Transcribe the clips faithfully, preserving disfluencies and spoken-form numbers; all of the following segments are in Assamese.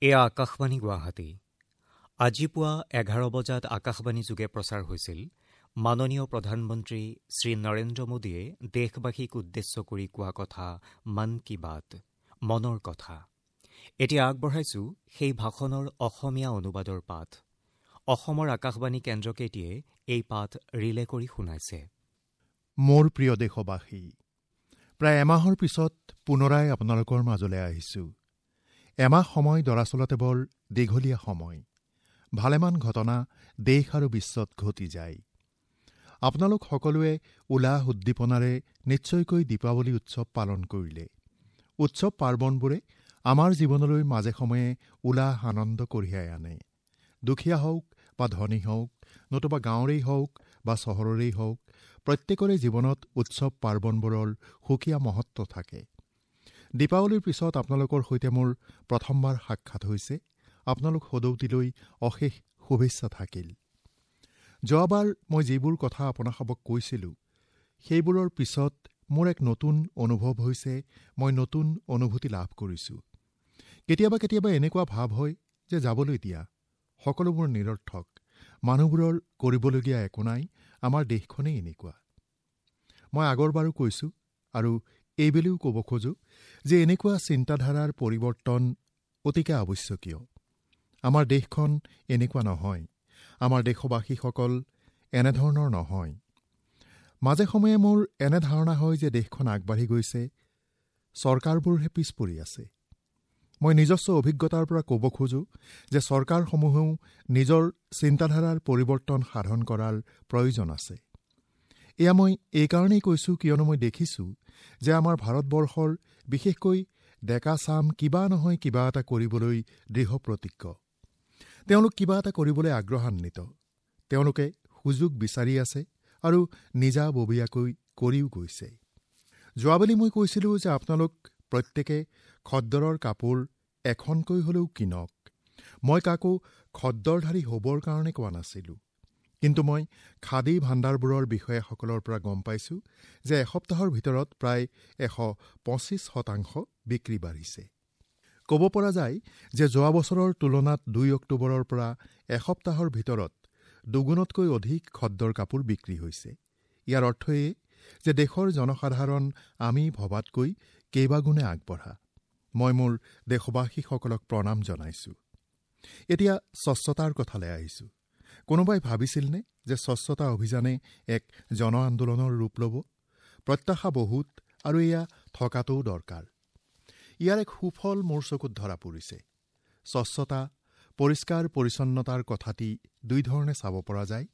এয়া আকাশবাণী গুৱাহাটী। আজি পুৱা এঘাৰ বজাত আকাশবাণী যোগে প্ৰচাৰ হৈছিল মাননীয় প্ৰধানমন্ত্ৰী শ্ৰী নৰেন্দ্ৰ মোদীয়ে দেশবাসীক উদ্দেশ্য কৰি কোৱা কথা মন কী বাত, মনৰ কথা। এতিয়া আগবঢ়াইছো সেই ভাষণৰ অসমীয়া অনুবাদৰ পাঠ। অসমৰ আকাশবাণী কেন্দ্ৰকেইটিয়ে এই পাঠ ৰিলে কৰি শুনাইছে। মোৰ প্ৰিয় দেশবাসী, প্ৰায় এমাহৰ পিছত পুনৰাই আপোনালোকৰ মাজলৈ আহিছোঁ। এমাহ সময় দৰাচলতে বৰ দীঘলীয়া সময়। ভালেমান ঘটনা দেশ আৰু বিশ্বত ঘটি যায়। আপোনালোক সকলোৱে উলাহ উদ্দীপনাৰে নিশ্চয়কৈ দীপাৱলী উৎসৱ পালন কৰিলে। উৎসৱ পাৰ্বণবোৰে আমাৰ জীৱনলৈ মাজে সময়ে উলাহ আনন্দ কঢ়িয়াই আনে। দুখীয়া হওক বা ধনী হওক, নতুবা গাঁৱৰেই হওক বা চহৰৰেই হওক, প্ৰত্যেকৰে জীৱনত উৎসৱ পাৰ্বণবোৰৰ সুকীয়া মহত্ব থাকে। দীপাৱলীৰ পিছত আপোনালোকৰ সৈতে মোৰ প্ৰথমবাৰ সাক্ষাৎ হৈছে। আপোনালোক সদৌতিলৈ অশেষ শুভেচ্ছা থাকিল। যোৱাবাৰ মই যিবোৰ কথা আপোনাসবক কৈছিলোঁ, সেইবোৰৰ পিছত মোৰ এক নতুন অনুভৱ হৈছে। মই নতুন অনুভূতি লাভ কৰিছোঁ। কেতিয়াবা কেতিয়াবা এনেকুৱা ভাৱ হয় যে যাবলৈ দিয়া, সকলোবোৰ নিৰৰ্থক, মানুহবোৰৰ কৰিবলগীয়া একো নাই, আমাৰ দেশখনেই এনেকুৱা। মই আগৰবাৰো কৈছোঁ আৰু এইবেলিও ক'ব খোজোঁ যে এনেকুৱা চিন্তাধাৰাৰ পৰিৱৰ্তন অতিকে আৱশ্যকীয়। আমাৰ দেশখন এনেকুৱা নহয়, আমাৰ দেশবাসীসকল এনেধৰণৰ নহয়। মাজে সময়ে মোৰ এনে ধাৰণা হয় যে দেশখন আগবাঢ়ি গৈছে, চৰকাৰবোৰহে পিছ পৰি আছে। মই নিজস্ব অভিজ্ঞতাৰ পৰা ক'ব খোজোঁ যে চৰকাৰসমূহেও নিজৰ চিন্তাধাৰাৰ পৰিৱৰ্তন সাধন কৰাৰ প্ৰয়োজন আছে। এয়া মই এইকাৰণেই কৈছোঁ কিয়নো মই দেখিছোঁ যে আমাৰ ভাৰতবৰ্ষৰ বিশেষকৈ ডেকা চাম কিবা নহয় কিবা এটা কৰিবলৈ দৃঢ় প্ৰতিজ্ঞ। তেওঁলোক কিবা এটা কৰিবলৈ আগ্ৰহান্বিত। তেওঁলোকে সুযোগ বিচাৰি আছে আৰু নিজাববীয়াকৈ কৰিও গৈছে। যোৱাবেলি মই কৈছিলোঁ যে আপোনালোক প্ৰত্যেকে খদ্দৰৰ কাপোৰ এখনকৈ হ'লেও কিনক। মই কাকো খদ্দৰধাৰী হ'বৰ কাৰণে কোৱা নাছিলোঁ, কিন্তু মই খাদী ভাণ্ডাৰবোৰৰ বিষয়াসকলৰ পৰা গম পাইছোঁ যে এসপ্তাহৰ ভিতৰত প্ৰায় এশ পঁচিছ শতাংশ বিক্ৰী বাঢ়িছে। ক'ব পৰা যায় যে যোৱা বছৰৰ তুলনাত দুই অক্টোবৰৰ পৰা এসপ্তাহৰ ভিতৰত দুগুণতকৈ অধিক খদ্দৰ কাপোৰ বিক্ৰী হৈছে। ইয়াৰ অৰ্থ এয়ে যে দেশৰ জনসাধাৰণ আমি ভবাতকৈ কেইবাগুণে আগবঢ়া। মই মোৰ দেশবাসীসকলক প্ৰণাম জনাইছোঁ। এতিয়া স্বচ্ছতাৰ কথালৈ আহিছোঁ। কোনোবাই ভাবিছিলনে যে স্বচ্ছতা অভিযানে এক জন আন্দোলনৰ ৰূপ ল'ব? প্ৰত্যাশা বহুত আৰু এয়া থকাটোও দৰকাৰ। ইয়াৰ এক সুফল মোৰ চকুত ধৰা পৰিছে। স্বচ্ছতা, পৰিষ্কাৰ পৰিচ্ছন্নতাৰ কথাটি দুই ধৰণে চাব পৰা যায়।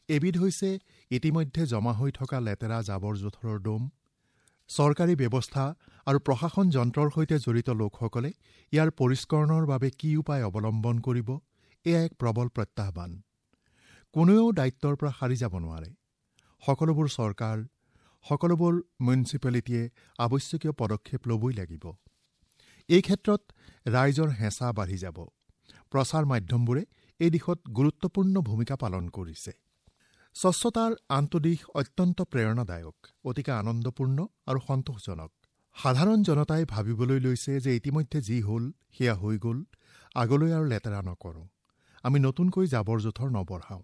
এবিধ হৈছে ইতিমধ্যে জমা হৈ থকা লেতেৰা জাবৰ জোঁথৰৰ দম। চৰকাৰী ব্যৱস্থা আৰু প্ৰশাসন যন্ত্ৰৰ সৈতে জড়িত লোকসকলে ইয়াৰ পৰিষ্কৰণৰ বাবে কি উপায় অৱলম্বন কৰিব, এয়া এক প্ৰবল প্ৰত্যাহ্বান। কোনেও দায়িত্বৰ পৰা সাৰি যাব নোৱাৰে। সকলোবোৰ চৰকাৰ, সকলোবোৰ মিউনিচিপেলিটিয়ে আৱশ্যকীয় পদক্ষেপ ল'বই লাগিব। এই ক্ষেত্ৰত ৰাইজৰ হেঁচা বাঢ়ি যাব। প্ৰচাৰ মাধ্যমবোৰে এই দিশত গুৰুত্বপূৰ্ণ ভূমিকা পালন কৰিছে। স্বচ্ছতাৰ আনটো দিশ অত্যন্ত প্ৰেৰণাদায়ক, অতিকে আনন্দপূৰ্ণ আৰু সন্তোষজনক। সাধাৰণ জনতাই ভাবিবলৈ লৈছে যে ইতিমধ্যে যি হ'ল সেয়া হৈ গ'ল, আগলৈ আৰু লেতেৰা নকৰোঁ, আমি নতুনকৈ জাবৰ জোঁথৰ নবঢ়াওঁ।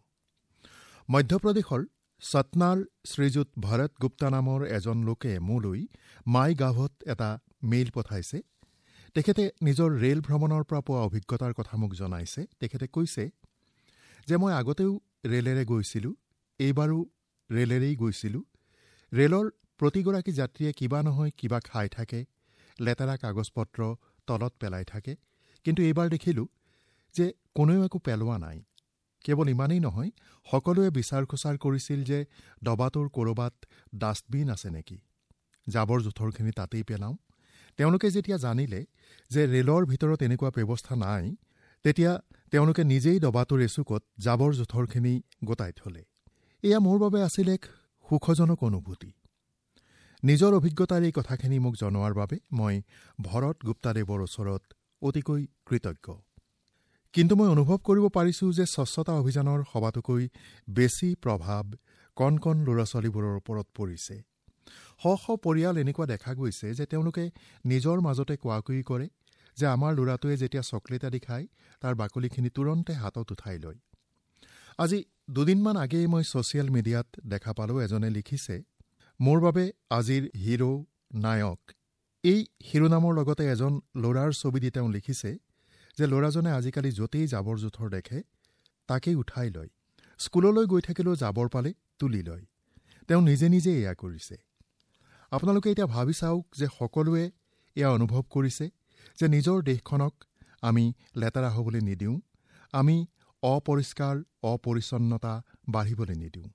মধ্যপ্ৰদেশৰ সতনাৰ শ্ৰীযুত ভৰত গুপ্তা নামৰ এজন লোকে মোলৈ মাই গাভত এটা মেইল পঠাইছে। তেখেতে নিজৰ ৰেল ভ্ৰমণৰ পৰা পোৱা অভিজ্ঞতাৰ কথা মোক জনাইছে। তেখেতে কৈছে যে মই আগতেও ৰেলেৰে গৈছিলোঁ, এইবাৰো ৰেলেৰেই গৈছিলোঁ। ৰেলৰ প্ৰতিগৰাকী যাত্ৰীয়ে কিবা নহয় কিবা খাই থাকে, লেতেৰা কাগজ পত্ৰ তলত পেলাই থাকে, কিন্তু এইবাৰ দেখিলোঁ যে কোনেও একো পেলোৱা নাই। কেৱল ইমানেই নহয়, সকলোৱে বিচাৰ খোচাৰ কৰিছিল যে দবাটোৰ ক'ৰবাত ডাষ্টবিন আছে নেকি, জাবৰ জোঁথৰখিনি তাতেই পেলাওঁ। তেওঁলোকে যেতিয়া জানিলে যে ৰেলৰ ভিতৰত এনেকুৱা ব্যৱস্থা নাই, তেতিয়া তেওঁলোকে নিজেই দবাটোৰ এচুকত জাবৰ জোঁথৰখিনি গোটাই থ'লে। এয়া মোৰ বাবে আছিল এক সুখজনক অনুভূতি। নিজৰ অভিজ্ঞতাৰ এই কথাখিনি মোক জনোৱাৰ বাবে মই ভৰত গুপ্তাদেৱৰ ওচৰত অতিকৈ কৃতজ্ঞ। কিন্তু মই অনুভৱ কৰিব পাৰিছোঁ যে স্বচ্ছতা অভিযানৰ সবাতোকৈ বেছি প্ৰভাৱ কণ কণ ল'ৰা ছোৱালীবোৰৰ ওপৰত পৰিছে। শ শ পৰিয়াল এনেকুৱা দেখা গৈছে যে তেওঁলোকে নিজৰ মাজতে কোৱাকুই কৰে যে আমাৰ ল'ৰাটোৱে যেতিয়া চকলেট আদি খায় তাৰ বাকলিখিনি তুৰন্তে হাতত উঠাই লয়। আজি দুদিনমান আগেয়ে মই ছ'চিয়েল মিডিয়াত দেখা পালোঁ, এজনে লিখিছে, মোৰ বাবে আজিৰ হিৰো নায়ক। এই শিৰোনামৰ লগতে এজন ল'ৰাৰ ছবি দি তেওঁ লিখিছে যে ল'ৰাজনে আজিকালি য'তেই জাবৰ জোঁথৰ দেখে তাকেই উঠাই লয়, স্কুললৈ গৈ থাকিলেও জাবৰ পালে তুলি লয়। তেওঁ নিজে নিজে এয়া কৰিছে। আপোনালোকে এতিয়া ভাবি চাওক যে সকলোৱে এয়া অনুভৱ কৰিছে যে নিজৰ দেশখনক আমি লেতেৰা হ'বলৈ নিদিওঁ, আমি অপৰিষ্কাৰ অপৰিচ্ছন্নতা বাঢ়িবলৈ নিদিওঁ।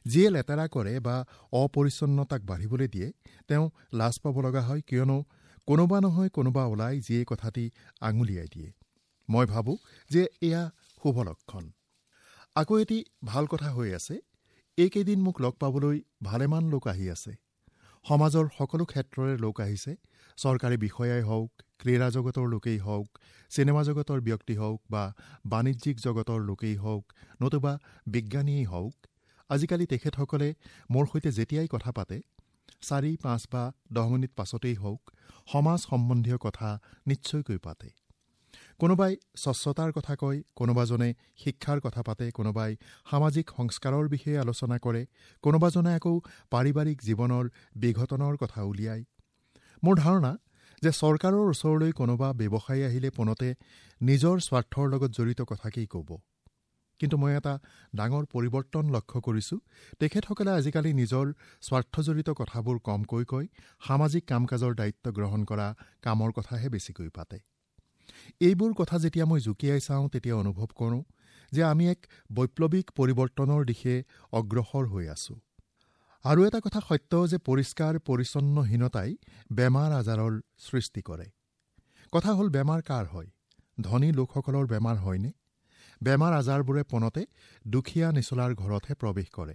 যিয়ে লেতেৰা কৰে বা অপৰিচ্ছন্নতাক বাঢ়িবলৈ দিয়ে তেওঁ লাজ পাব লগা হয়, কিয়নো কোনোবা নহয় কোনোবা ওলাই যিয়ে কথাটি আঙুলিয়াই দিয়ে। মই ভাবোঁ যে এয়া শুভ লক্ষণ। আকৌ এটি ভাল কথা হৈ আছে, এইকেইদিন মোক লগ পাবলৈ ভালেমান লোক আহি আছে। সমাজৰ সকলো ক্ষেত্ৰৰে লোক আহিছে, চৰকাৰী বিষয়াই হওক, ক্ৰীড়া জগতৰ লোকেই হওক, চিনেমা জগতৰ ব্যক্তি হওক বা বাণিজ্যিক জগতৰ লোকেই হওক, নতুবা বিজ্ঞানীয়েই হওক। আজিকালি তেখেতসকলে মোৰ সৈতে যেতিয়াই কথা পাতে, চাৰি পাঁচ বা দহ মিনিট পাছতেই হওক, সমাজ সম্বন্ধীয় কথা নিশ্চয়কৈ পাতে। কোনোবাই স্বচ্ছতাৰ কথা কয়, কোনোবাজনে শিক্ষাৰ কথা পাতে, কোনোবাই সামাজিক সংস্কাৰৰ বিষয়ে আলোচনা কৰে, কোনোবাজনে আকৌ পাৰিবাৰিক জীৱনৰ বিঘটনৰ কথা উলিয়ায়। মোৰ ধাৰণা যে চৰকাৰৰ ওচৰলৈ কোনোবা ব্যৱসায়ী আহিলে পোনতে নিজৰ স্বাৰ্থৰ লগত জড়িত কথাকেই ক'ব। কিন্তু মই এটা ডাঙৰ পৰিৱৰ্তন লক্ষ্য কৰিছোঁ, তেখেতসকলে আজিকালি নিজৰ স্বাৰ্থজড়িত কথাবোৰ কমকৈ কয়, সামাজিক কাম কাজৰ দায়িত্ব গ্ৰহণ কৰা কামৰ কথাহে বেছিকৈ পাতে। এইবোৰ কথা যেতিয়া মই জুকিয়াই চাওঁ তেতিয়া অনুভৱ কৰোঁ যে আমি এক বৈপ্লৱিক পৰিৱৰ্তনৰ দিশে অগ্ৰসৰ হৈ আছোঁ। আৰু এটা কথা সত্য যে পৰিষ্কাৰ পৰিচ্ছন্নহীনতাই বেমাৰ আজাৰৰ সৃষ্টি কৰে। কথা হ'ল, বেমাৰ কাৰ হয়? ধনী লোকসকলৰ বেমাৰ হয়নে? বেমাৰ আজাৰবোৰে পোনতে দুখীয়া নিচলাৰ ঘৰতহে প্ৰৱেশ কৰে।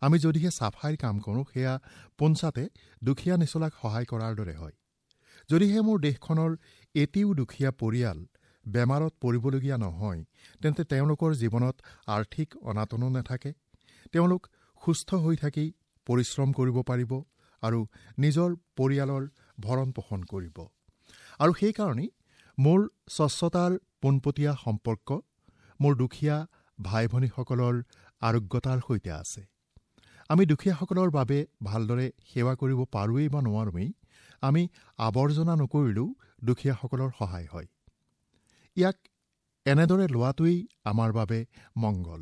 আমি যদিহে চাফাইৰ কাম কৰোঁ সেয়া পোনচাতে দুখীয়া নিচলাক সহায় কৰাৰ দৰে হয়। যদিহে মোৰ দেশখনৰ এটিও দুখীয়া পৰিয়াল বেমাৰত পৰিবলগীয়া নহয়, তেন্তে তেওঁলোকৰ জীৱনত আৰ্থিক অনাটনো নাথাকে, তেওঁলোক সুস্থ হৈ থাকি পৰিশ্ৰম কৰিব পাৰিব আৰু নিজৰ পৰিয়ালৰ ভৰণ পোষণ কৰিব। আৰু সেইকাৰণেই মোৰ স্বচ্ছতাৰ পোনপটীয়া সম্পৰ্ক মোৰ দুখীয়া ভাই ভনীসকলৰ আৰোগ্যতাৰ সৈতে আছে। আমি দুখীয়াসকলৰ বাবে ভালদৰে সেৱা কৰিব পাৰোঁৱেই বা নোৱাৰোঁৱেই, আমি আৱৰ্জনা নকৰিলেও দুখীয়াসকলৰ সহায় হয়। ইয়াক এনেদৰে লোৱাটোৱেই আমাৰ বাবে মংগল।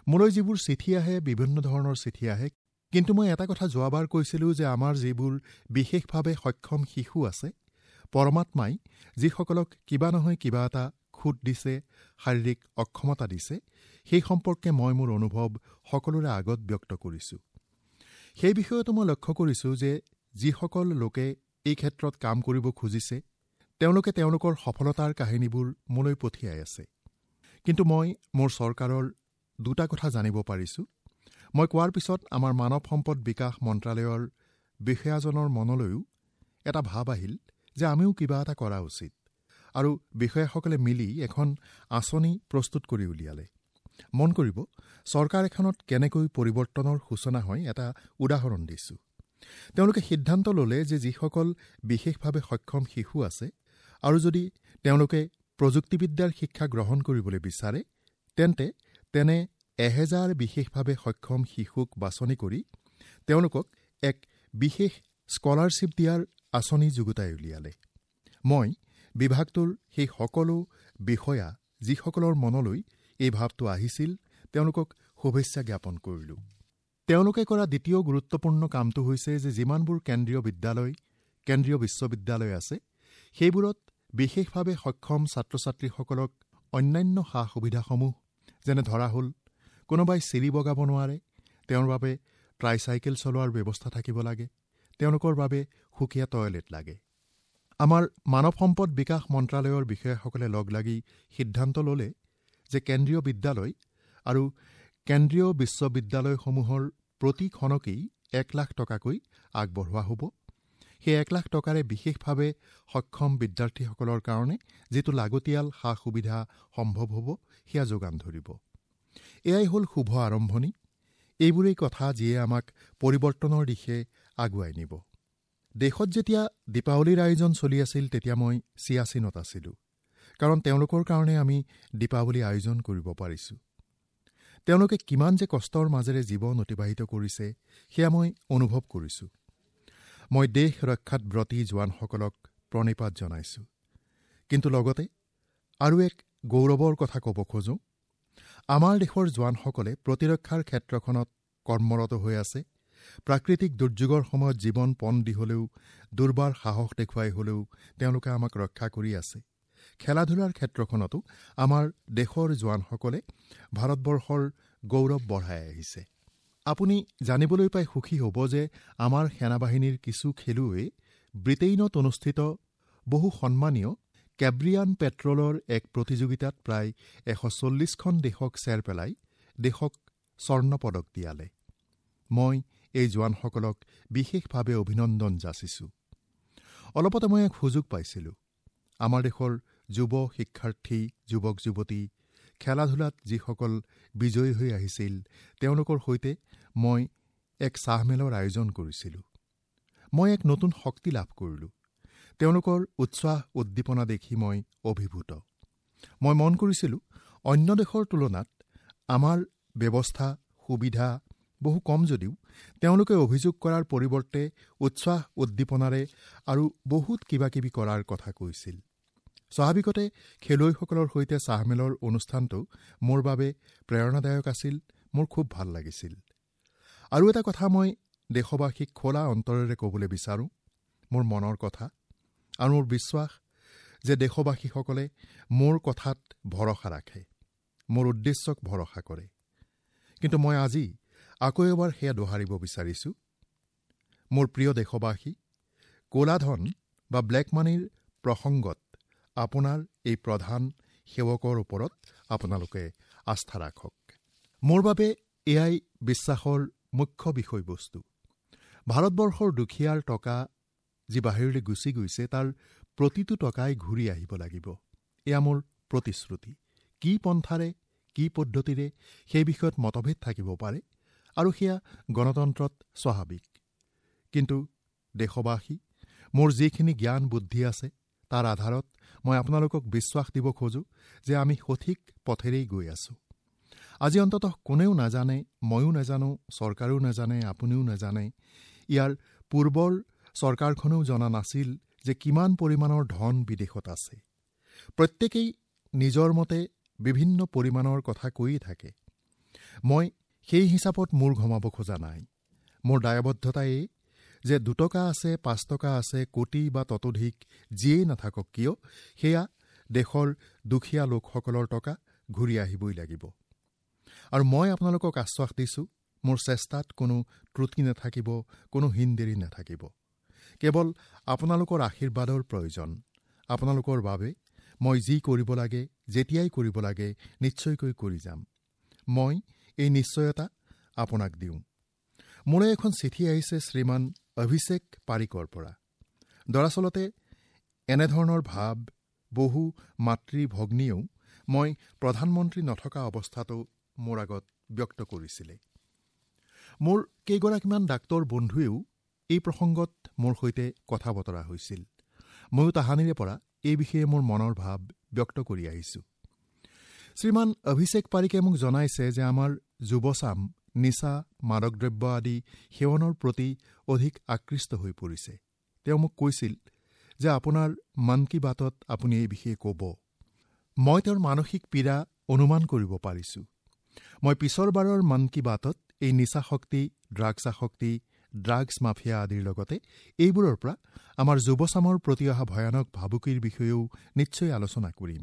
মোলৈ যিবোৰ চিঠি আহে, বিভিন্ন ধৰণৰ চিঠি আহে, কিন্তু মই এটা কথা যোৱাবাৰ কৈছিলোঁ যে আমাৰ যিবোৰ বিশেষভাৱে সক্ষম শিশু আছে, পৰমাত্মাই যিসকলক কিবা নহয় কিবা এটা খুঁত দিছে, শাৰীৰিক অক্ষমতা দিছে, সেই সম্পৰ্কে মই মোৰ অনুভৱ সকলোৰে আগত ব্যক্ত কৰিছোঁ। সেই বিষয়তো মই লক্ষ্য কৰিছোঁ যে যিসকল লোকে এই ক্ষেত্ৰত কাম কৰিব খুজিছে, তেওঁলোকে তেওঁলোকৰ সফলতাৰ কাহিনীবোৰ মোলৈ পঠিয়াই আছে। কিন্তু মই মোৰ চৰকাৰৰ দুটা কথা জানিব পাৰিছোঁ। মই কোৱাৰ পিছত আমাৰ মানৱ সম্পদ বিকাশ মন্ত্ৰালয়ৰ বিষয়াজনৰ মনলৈও এটা ভাৱ আহিল যে আমিও কিবা এটা কৰা উচিত, আৰু বিষয়াসকলে মিলি এখন আঁচনি প্ৰস্তুত কৰি উলিয়ালে। মন কৰিব, চৰকাৰ এখনত কেনেকৈ পৰিৱৰ্তনৰ সূচনা হয় এটা উদাহৰণ দিছোঁ। তেওঁলোকে সিদ্ধান্ত ল'লে যে যিসকল বিশেষভাৱে সক্ষম শিশু আছে আৰু যদি তেওঁলোকে প্ৰযুক্তিবিদ্যাৰ শিক্ষা গ্ৰহণ কৰিবলৈ বিচাৰে, তেন্তে তেনে এহেজাৰ বিশেষভাৱে সক্ষম শিশুক বাছনি কৰি তেওঁলোকক এক বিশেষ স্কলাৰশ্বিপ দিয়াৰ আঁচনি যুগুতাই উলিয়ালে। মই বিভাগটোৰ সেই সকলো বিষয়া যিসকলৰ মনলৈ এই ভাৱটো আহিছিল, তেওঁলোকক শুভেচ্ছা জ্ঞাপন কৰিলোঁ। তেওঁলোকে কৰা দ্বিতীয় গুৰুত্বপূৰ্ণ কামটো হৈছে যে যিমানবোৰ কেন্দ্ৰীয় বিদ্যালয়, কেন্দ্ৰীয় বিশ্ববিদ্যালয় আছে, সেইবোৰত বিশেষভাৱে সক্ষম ছাত্ৰ ছাত্ৰীসকলক অন্যান্য সা সুবিধাসমূহ, যেনে ধৰা হ'ল কোনোবাই চিৰি বগাব নোৱাৰে, তেওঁৰ বাবে ট্ৰাইচাইকেল চলোৱাৰ ব্যৱস্থা থাকিব লাগে, তেওঁলোকৰ বাবে সুকীয়া টয়লেট লাগে। আমাৰ মানৱ সম্পদ বিকাশ মন্ত্ৰালয়ৰ বিষয়াসকলে লগ লাগি সিদ্ধান্ত ল'লে যে কেন্দ্ৰীয় বিদ্যালয় আৰু কেন্দ্ৰীয় বিশ্ববিদ্যালয়সমূহৰ প্ৰতিখনকেই এক লাখ টকাকৈ আগবঢ়োৱা হ'ব। সেই এক লাখ টকাৰে বিশেষভাৱে সক্ষম বিদ্যাৰ্থীসকলৰ কাৰণে যিটো লাগতিয়াল সা সুবিধা সম্ভৱ হ'ব সেয়া যোগান ধৰিব। এয়াই হ'ল শুভ আৰম্ভণি। এইবোৰেই কথা যিয়ে আমাক পৰিৱৰ্তনৰ দিশে আগুৱাই নিব। দেশত যেতিয়া দীপাৱলীৰ আয়োজন চলি আছিল তেতিয়া মই চিয়াচিনত আছিলোঁ, কাৰণ তেওঁলোকৰ কাৰণে আমি দীপাৱলী আয়োজন কৰিব পাৰিছোঁ। তেওঁলোকে কিমান যে কষ্টৰ মাজেৰে জীৱন অতিবাহিত কৰিছে সেয়া মই অনুভৱ কৰিছোঁ। মই দেশ ৰক্ষাত ব্ৰতী জোৱানসকলক প্ৰণিপাত জনাইছোঁ। কিন্তু লগতে আৰু এক গৌৰৱৰ কথা ক'ব খোজোঁ, আমাৰ দেশৰ জোৱানসকলে প্ৰতিৰক্ষাৰ ক্ষেত্ৰখনত কৰ্মৰত হৈ আছে। প্ৰাকৃতিক দুৰ্যোগৰ সময়ত জীৱন পণ দি হ'লেও, দুৰ্বাৰ সাহস দেখুৱাই হ'লেও তেওঁলোকে আমাক ৰক্ষা কৰি আছে। খেলা ধূলাৰ ক্ষেত্ৰখনতো আমাৰ দেশৰ জোৱানসকলে ভাৰতবৰ্ষৰ গৌৰৱ বঢ়াই আহিছে। আপুনি জানিবলৈ পাই সুখী হ'ব যে আমাৰ সেনাবাহিনীৰ কিছু খেলুৱৈয়ে ব্ৰিটেইনত অনুষ্ঠিত বহু সন্মানীয় কেব্ৰিয়ান পেট্ৰলৰ এক প্ৰতিযোগিতাত প্ৰায় এশ চল্লিছখন দেশক চেৰ পেলাই দেশক স্বৰ্ণ পদক দিয়ালে। মই এই জোৱানসকলক বিশেষভাৱে অভিনন্দন যাচিছোঁ। অলপতে মই এক সুযোগ পাইছিলোঁ। আমাৰ দেশৰ যুৱ শিক্ষাৰ্থী, যুৱক যুৱতী, খেলা ধূলাত যিসকল বিজয়ী হৈ আহিছিল তেওঁলোকৰ সৈতে মই এক চাহমেলৰ আয়োজন কৰিছিলোঁ। মই এক নতুন শক্তি লাভ কৰিলোঁ। তেওঁলোকৰ উৎসাহ উদ্দীপনা দেখি মই অভিভূত। মই মন কৰিছিলোঁ অন্য দেশৰ তুলনাত আমাৰ ব্যৱস্থা সুবিধা বহু কম যদিও তেওঁলোকে অভিযোগ কৰাৰ পৰিৱৰ্তে উৎসাহ উদ্দীপনাৰে আৰু বহুত কিবাকিবি কৰাৰ কথা কৈছিল। স্বাভাৱিকতে খেলুৱৈসকলৰ সৈতে চাহমেলৰ অনুষ্ঠানটো মোৰ বাবে প্ৰেৰণাদায়ক আছিল, মোৰ খুব ভাল লাগিছিল। আৰু এটা কথা মই দেশবাসীক খোলা অন্তৰেৰে ক'বলৈ বিচাৰোঁ, মোৰ মনৰ কথা আৰু মোৰ বিশ্বাস যে দেশবাসীসকলে মোৰ কথাত ভৰসা ৰাখে, মোৰ উদ্দেশ্যক ভৰসা কৰে। কিন্তু মই আজি আকৌ এবাৰ সেয়া দোহাৰিব বিচাৰিছোঁ। মোৰ প্ৰিয় দেশবাসী, ক'লা ধন বা ব্লেক মানিৰ প্ৰসংগত আপোনাৰ এই প্ৰধান সেৱকৰ ওপৰত আপোনালোকে আস্থা ৰাখক। মোৰ বাবে এয়াই বিশ্বাসৰ মুখ্য বিষয়বস্তু। ভাৰতবৰ্ষৰ দুখীয়াৰ টকা যি বাহিৰলৈ গুচি গৈছে তাৰ প্ৰতিটো টকাই ঘূৰি আহিব লাগিব, এয়া মোৰ প্ৰতিশ্ৰুতি। কি পন্থাৰে, কি পদ্ধতিৰে সেই বিষয়ত মতভেদ থাকিব পাৰে আৰু সেয়া গণতন্ত্ৰত স্বাভাৱিক। কিন্তু দেশবাসী, মোৰ যিখিনি জ্ঞান বুদ্ধি আছে তাৰ আধাৰত মই আপোনালোকক বিশ্বাস দিব খোজোঁ যে আমি সঠিক পথেৰেই গৈ আছোঁ। আজি অন্ততঃ কোনেও নাজানে, ময়ো নাজানো, চৰকাৰেও নাজানে, আপুনিও নাজানে, ইয়াৰ পূৰ্বৰ চৰকাৰখনেও জনা নাছিল যে কিমান পৰিমাণৰ ধন বিদেশত আছে। প্ৰত্যেকেই নিজৰ মতে বিভিন্ন পৰিমাণৰ কথা কৈয়ে থাকে। মই সেই হিচাপত মূৰ ঘমাব খোজা নাই। মোৰ দায়বদ্ধতা এই যে দুটকা আছে, পাঁচ টকা আছে, কোটি বা ততোধিক যিয়েই নাথাকক কিয়, সেয়া দেশৰ দুখীয়া লোকসকলৰ টকা ঘূৰি আহিবই লাগিব। আৰু মই আপোনালোকক আশ্বাস দিছোঁ, মোৰ চেষ্টাত কোনো ত্ৰুটি নাথাকিব, কোনো হিনদেৰি নাথাকিব। কেৱল আপোনালোকৰ আশীৰ্বাদৰ প্ৰয়োজন। আপোনালোকৰ বাবে মই যি কৰিব লাগে, যেতিয়াই কৰিব লাগে, নিশ্চয়কৈ কৰি যাম। মই এই নিশ্চয়তা আপোনাক দিওঁ। মোলৈ এখন চিঠি আহিছে শ্ৰীমান অভিষেক পাৰিকৰ পৰা। দৰাচলতে এনেধৰণৰ ভাৱ বহু মাতৃ ভগ্নীয়েও মই প্ৰধানমন্ত্ৰী নথকা অৱস্থাতো মোৰ আগত ব্যক্ত কৰিছিলে। মোৰ কেইগৰাকীমান ডাক্তৰ বন্ধুৱেও এই প্ৰসংগত মোৰ সৈতে কথা বতৰা হৈছিল। ময়ো তাহানিৰে পৰা এই বিষয়ে মোৰ মনৰ ভাৱ ব্যক্ত কৰি আহিছোঁ। শ্ৰীমান অভিষেক পাৰিকে মোক জনাইছে যে আমাৰ যুৱচাম নিচা, মাদক দ্ৰব্য আদি সেৱনৰ প্ৰতি অধিক আকৃষ্ট হৈ পৰিছে। তেওঁ মোক কৈছিল যে আপোনাৰ মন কী বাতত আপুনি এই বিষয়ে ক'ব। মই তেওঁৰ মানসিক পীড়া অনুমান কৰিব পাৰিছোঁ। মই পিছৰবাৰৰ মন কী বাতত এই নিচা শক্তি, ড্ৰাগছ আসক্তি, ড্ৰাগছ মাফিয়া আদিৰ লগতে এইবোৰৰ পৰা আমাৰ যুৱচামৰ প্ৰতি অহা ভয়ানক ভাবুকিৰ বিষয়েও নিশ্চয় আলোচনা কৰিম।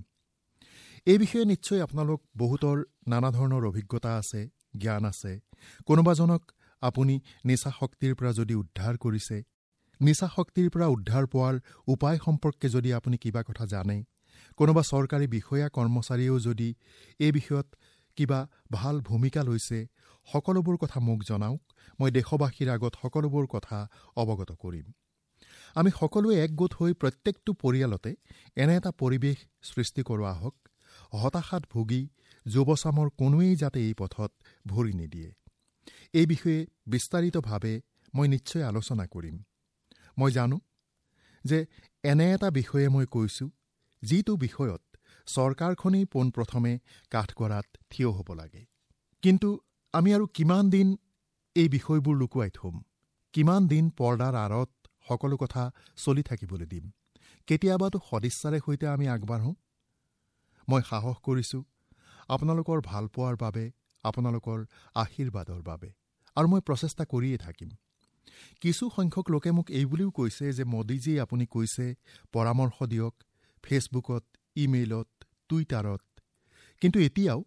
এই বিষয়ে নিশ্চয় আপোনালোক বহুতৰ নানা ধৰণৰ অভিজ্ঞতা আছে, জ্ঞান আছে। কোনোবাজনক আপুনি নিচা শক্তিৰ পৰা যদি উদ্ধাৰ কৰিছে, নিচা শক্তিৰ পৰা উদ্ধাৰ পোৱাৰ উপায় সম্পৰ্কে যদি আপুনি কিবা কথা জানে, কোনোবা চৰকাৰী বিষয়া কৰ্মচাৰীয়েও যদি এই বিষয়ত কিবা ভাল ভূমিকা লৈছে, সকলোবোৰ কথা মোক জনাওক। মই দেশবাসীৰ আগত সকলোবোৰ কথা অৱগত কৰিম। আমি সকলোৱে একগোট হৈ প্ৰত্যেকটো পৰিয়ালতে এনে এটা পৰিৱেশ সৃষ্টি কৰোৱা হওক, হতাশাত ভুগি যুৱচামৰ কোনোৱেই যাতে এই পথত ভৰি নিদিয়ে। এই বিষয়ে বিস্তাৰিতভাৱে মই নিশ্চয় আলোচনা কৰিম। মই জানো যে এনে এটা বিষয়ে মই কৈছোঁ যিটো বিষয়ত চৰকাৰখনেই পোনপ্ৰথমে কাঠগড়াত থিয় হ'ব লাগে। কিন্তু আমি আৰু কিমান দিন এই বিষয়বোৰ লুকুৱাই থ'ম? কিমান দিন পৰ্দাৰ আঁৰত সকলো কথা চলি থাকিবলৈ দিম? কেতিয়াবাতো সদিচ্ছাৰে সৈতে আমি আগবাঢ়োঁ। মই সাহস কৰিছোঁ আপোনালোকৰ ভালপোৱাৰ বাবে, আপোনালোকৰ আশীৰ্বাদৰ বাবে, আৰু মই প্ৰচেষ্টা কৰিয়ে থাকিম। কিছু সংখ্যক লোকে মোক এই বুলিও কৈছে যে মোদীজী, আপুনি কৈছে পৰামৰ্শ দিয়ক ফেচবুকত, ইমেইলত, টুইটাৰত, কিন্তু এতিয়াও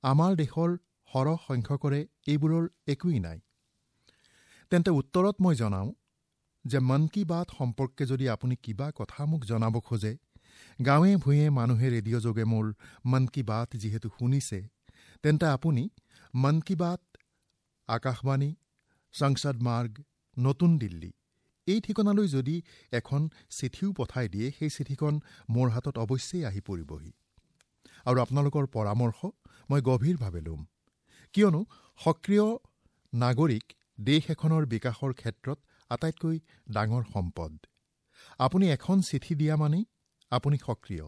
আমাৰ দেশৰ সৰহ সংখ্যকৰে এইবোৰৰ একোৱেই নাই। তেন্তে উত্তৰত মই জনাওঁ যে মন কী বাত সম্পৰ্কে যদি আপুনি কিবা কথা মোক জনাব খোজে, গাঁৱে ভূঞে মানুহে ৰেডিঅ' যোগে মোৰ মন কী বাত যিহেতু শুনিছে, তেন্তে আপুনি মন কী বাত, আকাশবাণী, সংসদ মাৰ্গ, নতুন দিল্লী এই ঠিকনালৈ যদি এখন চিঠিও পঠাই দিয়ে, সেই চিঠিখন মোৰ হাতত অৱশ্যেই আহি পৰিবহি। আৰু আপোনালোকৰ পৰামৰ্শ মই গভীৰভাৱে ল'ম, কিয়নো সক্ৰিয় নাগৰিক দেশ এখনৰ বিকাশৰ ক্ষেত্ৰত আটাইতকৈ ডাঙৰ সম্পদ। আপুনি এখন চিঠি দিয়া মানেই আপুনি সক্ৰিয়,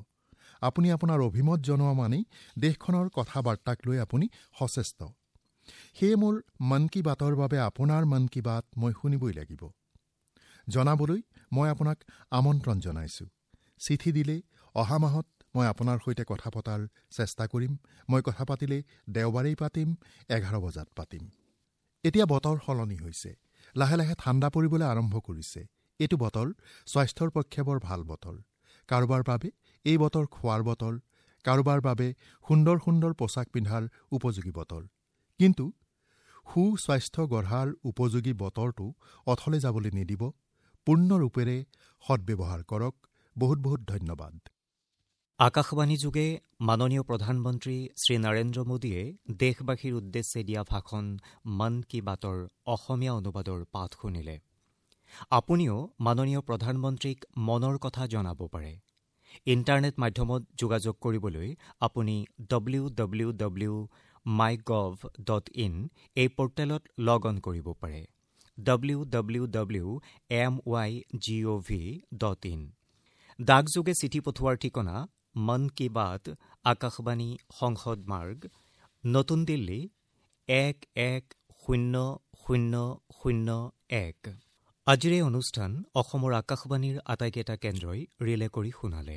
আপুনি আপোনাৰ অভিমত জনোৱা মানেই দেশখনৰ কথা বাৰ্তাক লৈ আপুনি সচেষ্ট। সেয়ে মোৰ মন কী বাতৰ বাবে আপোনাৰ মন কী বাত মই শুনিবই লাগিব। জনাবলৈ মই আপোনাক আমন্ত্ৰণ জনাইছোঁ। চিঠি দিলে অহা মাহত মই আপোনাৰ সৈতে কথা পতাৰ চেষ্টা কৰিম। মই কথা পাতিলে দেওবাৰেই পাতিম, এঘাৰ বজাত পাতিম। এতিয়া বতৰ সলনি হৈছে, লাহে লাহে ঠাণ্ডা পৰিবলৈ আৰম্ভ কৰিছে। এইটো বতৰ স্বাস্থ্যৰ পক্ষে বৰ ভাল বতৰ। কাৰোবাৰ বাবে এই বতৰ খোৱাৰ বতৰ, কাৰোবাৰ বাবে সুন্দৰ সুন্দৰ পোছাক পিন্ধাৰ উপযোগী বতৰ। কিন্তু সুস্বাস্থ্য গঢ়াৰ উপযোগী বতৰটো অথলে যাবলৈ নিদিব। পূৰ্ণৰূপেৰে সদ্ব্যৱহাৰ কৰক। বহুত বহুত ধন্যবাদ। আকাশবাণী যোগে মাননীয় প্ৰধানমন্ত্ৰী শ্ৰী নৰেন্দ্ৰ মোদীয়ে দেশবাসীৰ উদ্দেশ্যে দিয়া ভাষণ মন কী বাতৰ অসমীয়া অনুবাদৰ পাঠ শুনিলে। আপুনিও মাননীয় প্ৰধানমন্ত্ৰীক মনৰ কথা জনাব পাৰে। ইণ্টাৰনেট মাধ্যমত যোগাযোগ কৰিবলৈ আপুনি W W W my gov dot in এই পৰ্টেলত লগ অন কৰিব পাৰে। W W W M Y G O V dot in. ডাকযোগে চিঠি পঠোৱাৰ ঠিকনা মন কী বাত, আকাশবাণী, সংসদ মাৰ্গ, নতুন দিল্লী এক এক শূন্য শূন্য শূন্য এক। আজিৰ এই অনুষ্ঠান অসমৰ আকাশবাণীৰ আটাইকেইটা কেন্দ্ৰই ৰিলে কৰি শুনালে।